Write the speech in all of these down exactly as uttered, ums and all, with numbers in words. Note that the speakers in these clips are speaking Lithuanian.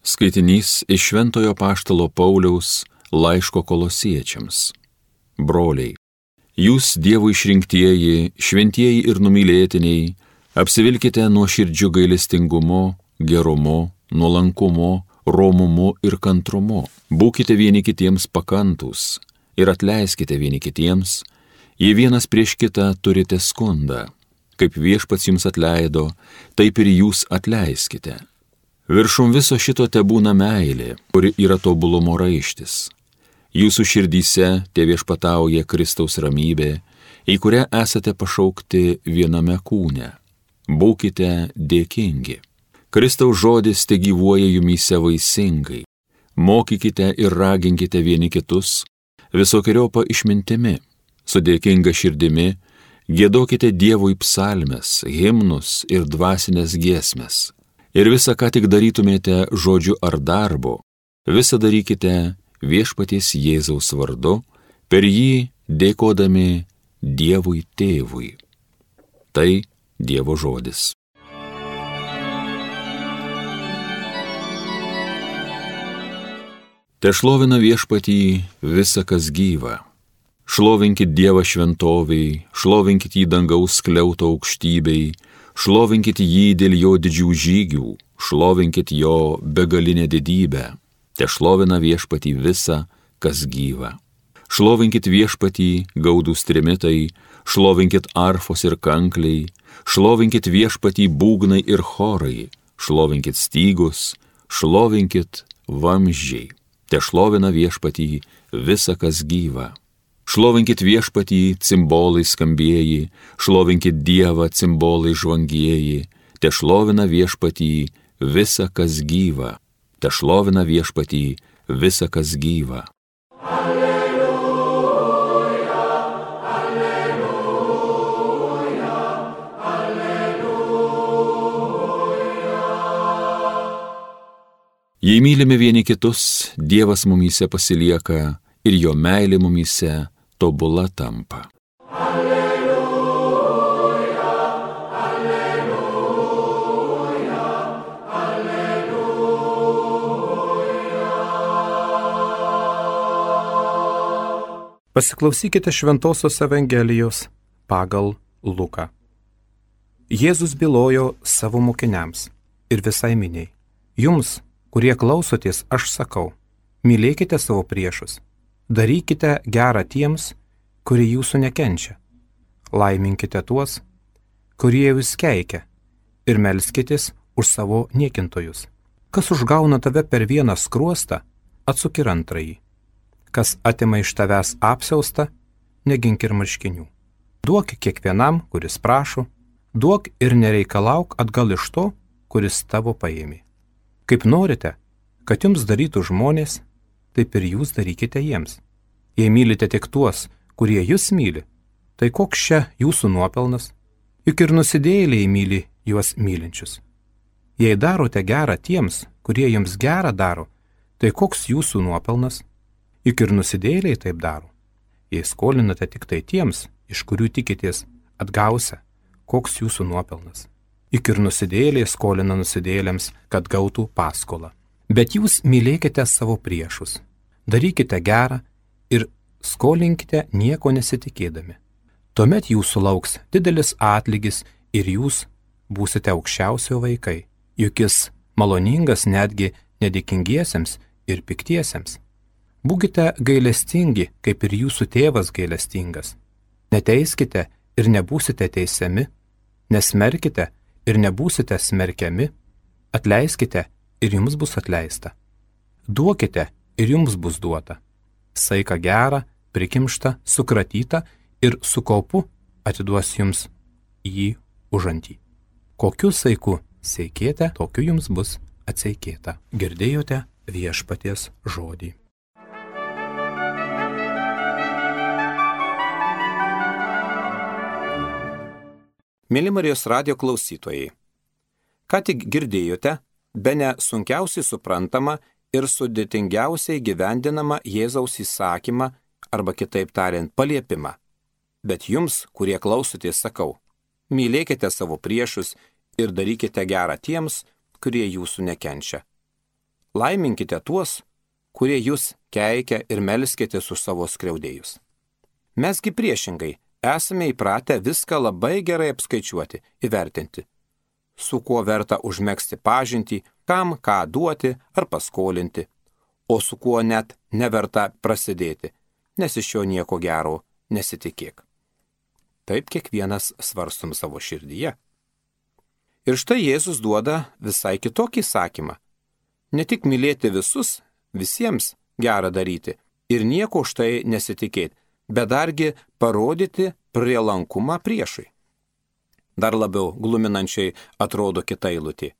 Skaitinys iš Šventojo Apaštalo Pauliaus laiško Kolosiečiams. Broliai, jūs Dievo išrinktieji, šventieji ir numylėtiniai, apsivilkite nuoširdžiu gailestingumu, gerumu, nuolankumu, romumu ir kantrumu. Būkite vieni kitiems pakantūs ir atleiskite vieni kitiems, jei vienas prieš kitą turite skundą. Kaip Viešpats jums atleido, taip ir jūs atleiskite. Viršum viso šito tebūna meilė, kuri yra tobulumo raištis. Jūsų širdyse teviešpatauja Kristaus ramybė, į kurią esate pašaukti viename kūne. Būkite dėkingi. Kristaus žodis tegyvuoja jumyse vaisingai. Mokykite ir raginkite vieni kitus visokiojopą išmintimi. Su dėkinga širdimi giedokite Dievui psalmes, himnus ir dvasinės giesmes. Ir visą, ką tik darytumėte žodžiu ar darbu, visą darykite Viešpaties Jėzaus vardu, per jį dėkodami Dievui Tėvui. Tai Dievo žodis. Tešlovina Viešpatį visa, kas gyva. Šlovinkit Dievą šventoviai, šlovinkit jį dangaus skliauto aukštybei, šlovinkit jį dėl jo didžių žygių, šlovinkit jo begalinę didybę. Tešlovina Viešpatį visa, kas gyva. Šlovinkit Viešpatį gaudūs trimitai, šlovinkit arfos ir kankliai, šlovinkit Viešpatį būgnai ir chorai, šlovinkit stygus, šlovinkit vamzdžiai. Tešlovina Viešpatį visa, kas gyva. Šlovinkit Viešpatį cimbolai skambieji, šlovinkit Dievą cimbolai žvangieji, tešlovina Viešpatį visa, kas gyva. Tešlovina Viešpatį visa, kas gyva. Alleluja, alleluja, alleluja. Jei mylime vieni kitus, Dievas mumyse pasilieka ir jo meilė mumyse tobula tampa. Alleluja, alleluja, alleluja. Pasiklausykite Šventosios Evangelijos pagal Luką. Jėzus bylojo savo mokiniams ir visai miniai. Jums, kurie klausotės, aš sakau, mylėkite savo priešus. Darykite gerą tiems, kurie jūsų nekenčia. Laiminkite tuos, kurie jūs keikia, ir melskitės už savo niekintojus. Kas užgauna tave per vieną skruostą, atsuk ir antrąjį. Kas atima iš tavęs apsiaustą, negink ir marškinių. Duok kiekvienam, kuris prašo, duok ir nereikalauk atgal iš to, kuris tavo paėmė. Kaip norite, kad jums darytų žmonės, taip ir jūs darykite jiems. Jei mylite tik tuos, kurie jūs myli, tai koks čia jūsų nuopelnas? Juk ir nusidėjėliai myli juos mylinčius. Jei darote gerą tiems, kurie jums gerą daro, tai koks jūsų nuopelnas? Juk ir nusidėjėliai taip daro. Jei skolinate tik tai tiems, iš kurių tikitės atgausia, koks jūsų nuopelnas? Juk ir nusidėjėliai skolina nusidėjėliams, kad gautų paskolą. Bet jūs mylėkite savo priešus, darykite gerą ir skolinkite nieko nesitikėdami. Tuomet jūsų lauks didelis atlygis ir jūs būsite aukščiausio vaikai, juk jis maloningas netgi nedėkingiesiems ir piktiesiems. Būkite gailestingi, kaip ir jūsų tėvas gailestingas. Neteiskite ir nebūsite teisiami, nesmerkite ir nebūsite smerkiami, atleiskite ir jums bus atleista. Duokite ir jums bus duota. Saiką gerą, prikimštą, sukratytą ir su kaupu atiduos jums jį užantį. Kokiu saiku seikėte, tokiu jums bus atseikėta. Girdėjote Viešpaties žodį. Mėly Marijos radijo klausytojai, ką tik girdėjote bene sunkiausiai suprantama ir sudėtingiausiai gyvendinama Jėzaus įsakymą arba kitaip tariant paliepimą. Bet jums, kurie klausotės, sakau, mylėkite savo priešus ir darykite gerą tiems, kurie jūsų nekenčia. laiminkite tuos, kurie jūs keikia ir melskitės už savo skriaudėjus. Mesgi priešingai esame įpratę viską labai gerai apskaičiuoti, įvertinti, su kuo verta užmegzti pažintį, kam ką duoti ar paskolinti, o su kuo net neverta prasidėti, nes iš jo nieko gero nesitikėk. Taip kiekvienas svarstum savo širdyje. Ir štai Jėzus duoda visai kitokį įsakymą. Ne tik mylėti visus, visiems gera daryti ir nieko už tai nesitikėti, bet dargi parodyti prielankumą priešui. Dar labiau gluminančiai atrodo kita eilutė.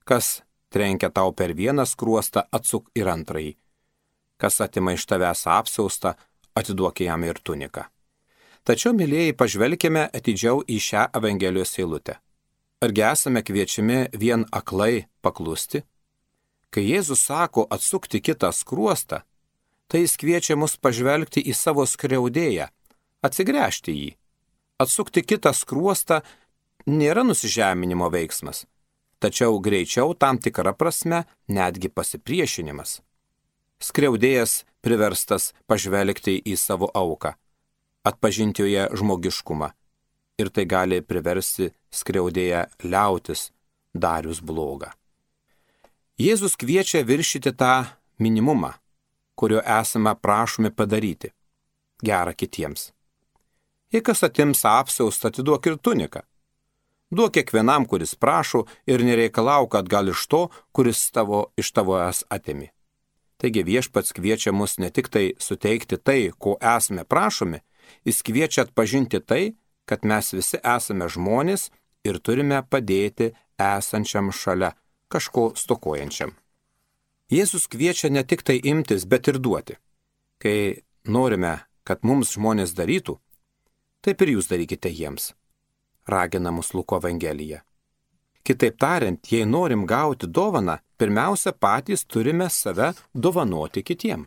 Kas trenkia tau per vieną skruostą, atsuk ir antrąjį. Kas atima iš tavęs apsiaustą, atiduok jam ir tuniką. Tačiau, mylėjai, pažvelkime atidžiau į šią Evangelijos eilutę. Argi esame kviečiami vien aklai paklusti? Kai Jėzus sako atsukti kitą skruostą, tai jis kviečia mus pažvelgti į savo skriaudėją, atsigręžti jį. Atsukti kitą skruostą nėra nusižeminimo veiksmas, tačiau greičiau tam tikra prasme netgi pasipriešinimas. Skriaudėjas priverstas pažvelgti į savo auką, atpažinti joje žmogiškumą, ir tai gali priversti skriaudėją liautis darius blogą. Jėzus kviečia viršyti tą minimumą, kurio esame prašomi padaryti, gerą kitiems. Jei kas atims apsiaustą, atiduok ir tuniką. Duok kiekvienam, kuris prašo, ir nereikalauk atgal iš to, kuris tavo, iš tavo es atimi. Taigi viešpats kviečia mus ne tik tai suteikti tai, ko esame prašomi, jis kviečia atpažinti tai, kad mes visi esame žmonės ir turime padėti esančiam šalia, kažko stokojančiam. Jėzus kviečia ne tik tai imtis, bet ir duoti. Kai norime, kad mums žmonės darytų, taip ir jūs darykite jiems, ragina mus Luko Evangelija. Kitaip tariant, jei norim gauti dovaną, pirmiausia patys turime save dovanoti kitiem.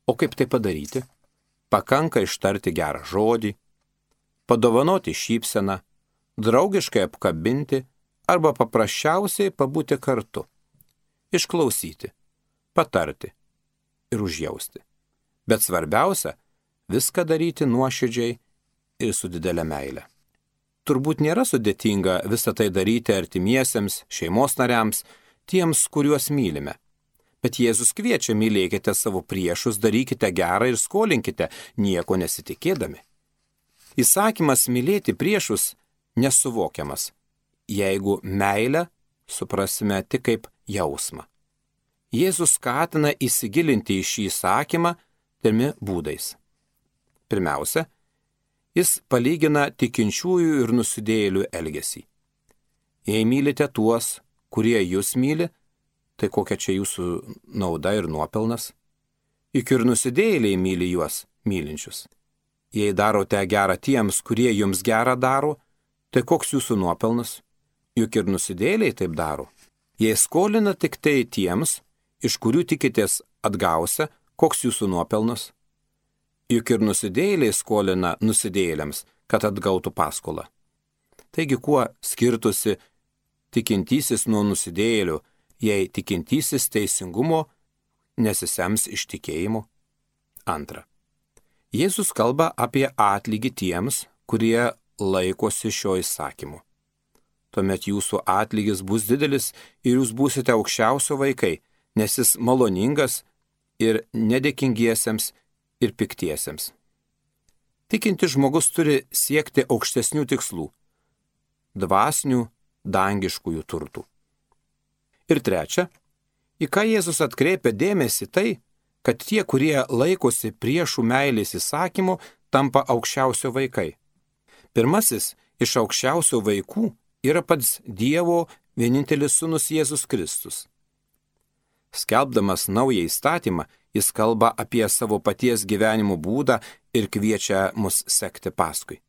O kaip tai padaryti? Pakanka ištarti gerą žodį, padovanoti šypseną, draugiškai apkabinti arba paprasčiausiai pabūti kartu, išklausyti, patarti ir užjausti. Bet svarbiausia, viską daryti nuoširdžiai ir su didelė meile. Turbūt nėra sudėtinga visą tai daryti artimiesiems, šeimos nariams, tiems, kuriuos mylime. Bet Jėzus kviečia: mylėkite savo priešus, darykite gerą ir skolinkite, nieko nesitikėdami. Įsakymas mylėti priešus nesuvokiamas, jeigu meilę suprasime tik kaip jausmą. Jėzus skatina įsigilinti į šį įsakymą trimi būdais. Pirmiausia, jis palygina tikinčiųjų ir nusidėjėlių elgesį. Jei mylite tuos, kurie jūs myli, tai kokia čia jūsų nauda ir nuopelnas? Juk ir nusidėjėliai myli juos mylinčius. Jei darote gerą tiems, kurie jums gerą daro, tai koks jūsų nuopelnas? Juk ir nusidėjėliai taip daro. Jei skolina tik tai tiems, iš kurių tikitės atgausia, koks jūsų nuopelnas? Juk ir nusidėjėliai skolina nusidėjėliams, kad atgautų paskolą. Taigi kuo skirtusi tikintysis nuo nusidėjėlių, jei tikintysis teisingumo nesisems iš tikėjimo? Antra. Jėzus kalba apie atlygį tiems, kurie laikosi šio įsakymu. Tuomet jūsų atlygis bus didelis ir jūs būsite aukščiausio vaikai, nes jis maloningas ir nedėkingiesiems ir piktiesiems. Tikintis žmogus turi siekti aukštesnių tikslų, dvasinių, dangiškųjų turtų. Ir trečia, į ką Jėzus atkreipia dėmesį tai, kad tie, kurie laikosi priešų meilės įsakymo, tampa aukščiausio vaikai. Pirmasis iš aukščiausio vaikų yra pats Dievo vienintelis sūnus Jėzus Kristus. Skelbdamas naują įstatymą, jis kalba apie savo paties gyvenimo būdą ir kviečia mus sekti paskui.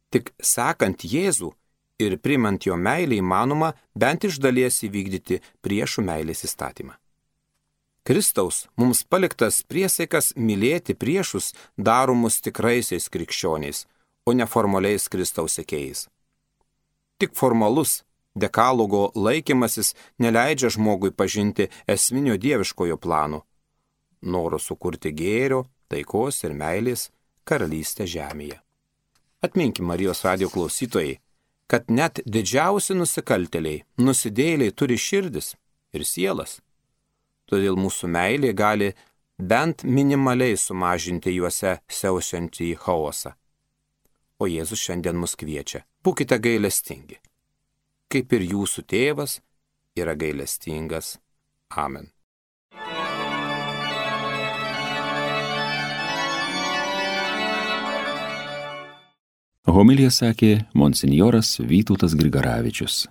Tik sekant Jėzų ir primant jo meilę įmanoma bent iš dalies įvykdyti priešų meilės įstatymą. Kristaus mums paliktas priesaikas mylėti priešus daro mus tikraisiais krikščioniais, o ne formaliais Kristaus sekėjais. Tik formalus Dekalogo laikymasis neleidžia žmogui pažinti esminio dieviškojo plano - noro sukurti gėrio, taikos ir meilės karalystę žemėje. Atminkim, Marijos radijo klausytojai, kad net didžiausi nusikaltėliai, nusidėjėliai turi širdis ir sielas. Todėl mūsų meilė gali bent minimaliai sumažinti juose siaučiantį chaosą. O Jėzus šiandien mus kviečia: būkite gailestingi, kaip ir jūsų tėvas yra gailestingas. Amen. Homiliją sakė monsinjoras Vytautas Grigaravičius.